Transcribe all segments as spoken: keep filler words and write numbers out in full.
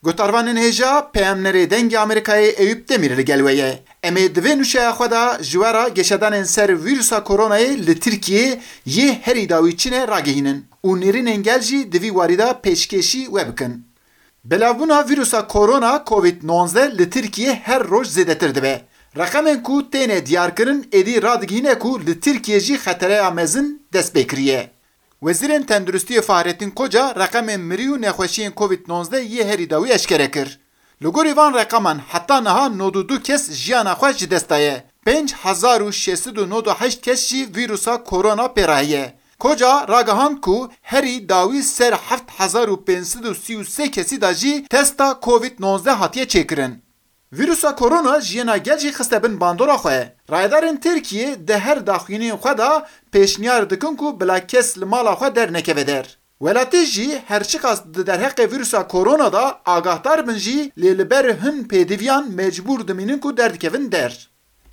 Guhdarvanên hêja, peyamnerê Dengê Amerîkayê Eyûp Demîr li gel we ye. Em ê di vê nûçeya xwe de ji we re geşedanên ser vîrusa koronayê li Tirkiyê yê herî dawî çi ne ragihînin û nêrînên gel jî di vî warî de pêşkêşî we bikin. Belavbûna vîrusa korona Covid nonzdeh li Tirkiyê her roj zêdetir dibe. Reqemên ku têne diyarkirin êdî radigihîne ku li Tirkiyê jî xetereya mezin dest pê kiriye. Wezîrên Tenduristiyê Fahrettin Koca reqemên mirî û nexweşiyên Covid nonzdeh yê herî dawî eşkere kir. Li gorî van reqeman heta niha nod û du kes jiyana xwe ji dest daye. Pênc hezar û şeş sed û nod û heşt kes jî vîrusa korona pê re heye. Koca ragihand ku herî dawî ser heft hezar û pênc sed û sî û sê kesî de jî testa Covid nonzdeh hatiye çêkirin. Vîrusa korona jiyana gel jî xiste bin bandora xwe. Rayedarên Tirkiyê di her daxuyaniyên xwe de pêşniyar dikin ku bila kes li mala xwe dernekeve der. Welatî jî her çiqas di derheqê vîrusa korona de agahdar bin jî, lê li ber hin pêdiviyan mecbûr dimînin ku derdikevin der.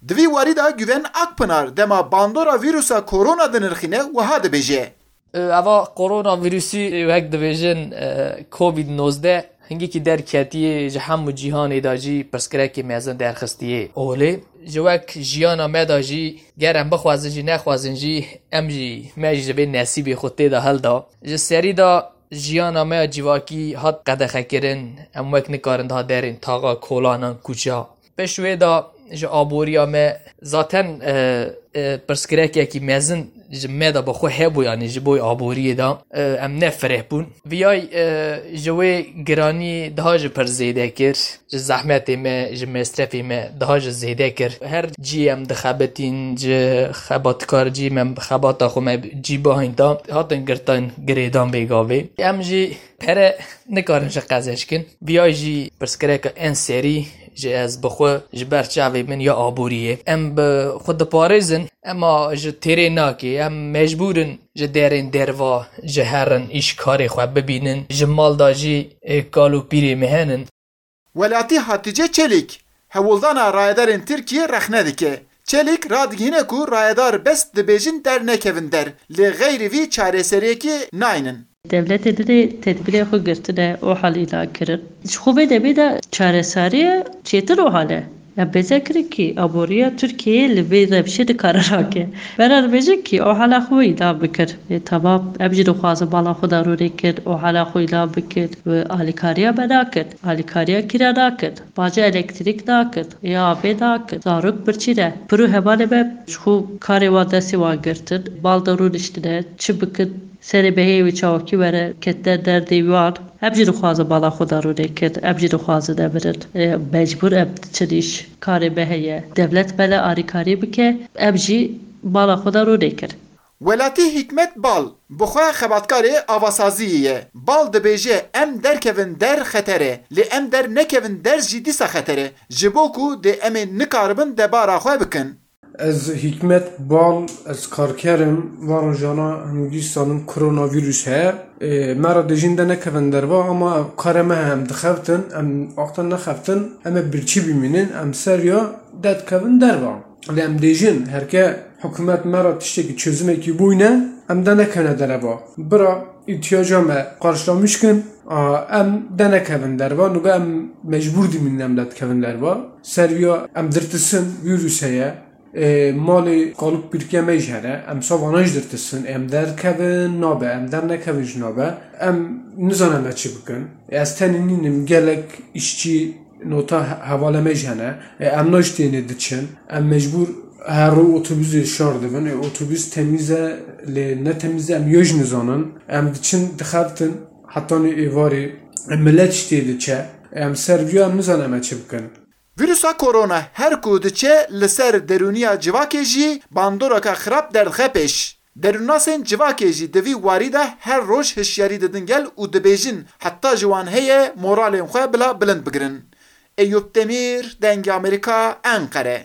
Di vî warî de Güven Akpınar dema bandora vîrusa korona dinirxîne wiha dibêje. Eva koronavîrusî, wek dibêjin, e, Covid nozdeh, hingekî derketiye, ji hemû cîhanê de jî pirsgirêkê mezin derxistiye holê. Ji wek jiyana me de jî, ger em bixwazin jî nexwazin jî, em jî, me jî ji vê nesîbê xwe tê de hilda. Ji serî de jiyana me ya civakî hat qedexekirin, em wek nikarin daha derên taxa, kolanan, kuça. Pêş wê de ji aboriya me zaten, e, e, pirsgirêkekî mezin ji me de bi xwe hebû, yanî ji bo aboriyê de, e, em ne fireh bûn. Viyay, e, ji wê giranî daha jî pir zêde kir, ji zehmetê me, ji mesrefê me daha jî zêde kir. Her cî em dixebitîn, ji xebatkar cî me xebata xwe me cî bihîn da, hatin girtin girêdan bêgavê. Em jî pere nikarin ji qezenc kin. Viyay jî pirsgirêka en serî ji ez bi xwe ji ber çavê min ya aboriyê. Em bi xwe diparêzin, ema ji têrê nake. Em mecbûr in ji derên derva ji herin, îş karê xwe bibînin. Ji mal de jî, ê, kal û pîrê me henin. Welatî Hatice Çelîk hewldana rayedarên Tirkiyê rexne dike. Çelîk radigihîne ku rayedar bes dibêjin dernekevin der, lê xeyrî vî çareseriyekê naynin. Dewletê dinê tedbîrê xwe girtine, OHAL îlan kirin. Ji xwe vê demê de çareseriye çêtir OHAL e. Em bêze kirin kî aboriya Tirkiyeyê li vê rewşê nikare rake. Bera dibêjin kî OHALa xwe îlan bikir. Ê, temam, em jî dixwazin mala xwe de rûnê kin, OHALa xwe îlan bikin. Û alîkariya me nakin. Alîkariya kî re nakin? Baca elektrîk nakin. Ê, avê nakin. Zarok birçî ne. Pir û hevalê me ji xwe karê wan destê wan girtin. Mal de rûniştine. Çi bikin? Serê beheyê wê çawakî were ketine derdê wan. Em jî dixwazin mala xwe de rûnê kin. Em jî dixwazin nemirin. E, mecbûr em diçin îş. Karê me heye. Dewlet me le alîkarî bike. Em jî mala xwe de rûnê kin. Welatî Hikmet Bal bi xwe xebatkarê avasaziyê ye. Bal dibêje, em derkevin der xeter e, lê em dernekevin der jî dîsa xeter e. Ji bo ku dê em ê nikaribin debara xwe bikin. Ez Hikmet Bal, ez karker im. Van rojana hingî sanim koronavîrus heye. Ê, me re dêjin de nekevin derva, ama karê me heye, em dixeftin, em wexta nexeftin, em ê birçî bimînin, em ser ya de dikevin derva. Lê em dêjin, herke hikûmet me re tiştekî çözümekî bûyne, em de nekevne derva. Bira îhtiyaca me qarşılamış kin, a, em de nekevin derva, nûbe em mecbûr dimînin em de dikevin derva. Ser ya em dirtisin, vîrus heye. Ê, malê kalûk pîrke me jî hene, em savana jî dirtisin, em derkevin nabe, em dernekevin jî nabe, em nizane me çi bikin. Ê, ez tenê nînim, gelek îşçî nota he-, hevalê me jî hene. Ê, em na jî tênê diçin, em mecbûr her roj otobusê şar dibin. Ê, otobus temîz e, lê ne temîz e, em yo jî nizanin. Em diçin, dixeftin, hetanî êvarê, ê, milet jî tê diçe. Ê, em ser viya em nizane me çi bikin. Vîrusa korona her ku diçe li ser derûniya civakê jî bandoreke xirab derdixe pêş. Derûnnasên civakê jî di vî warî de her roj hişyarî didin gel û dibêjin heta ji wan heye moralên xwe bila bilind bigirin. Eyûp Demîr, Dengê Amerîka, Enqere.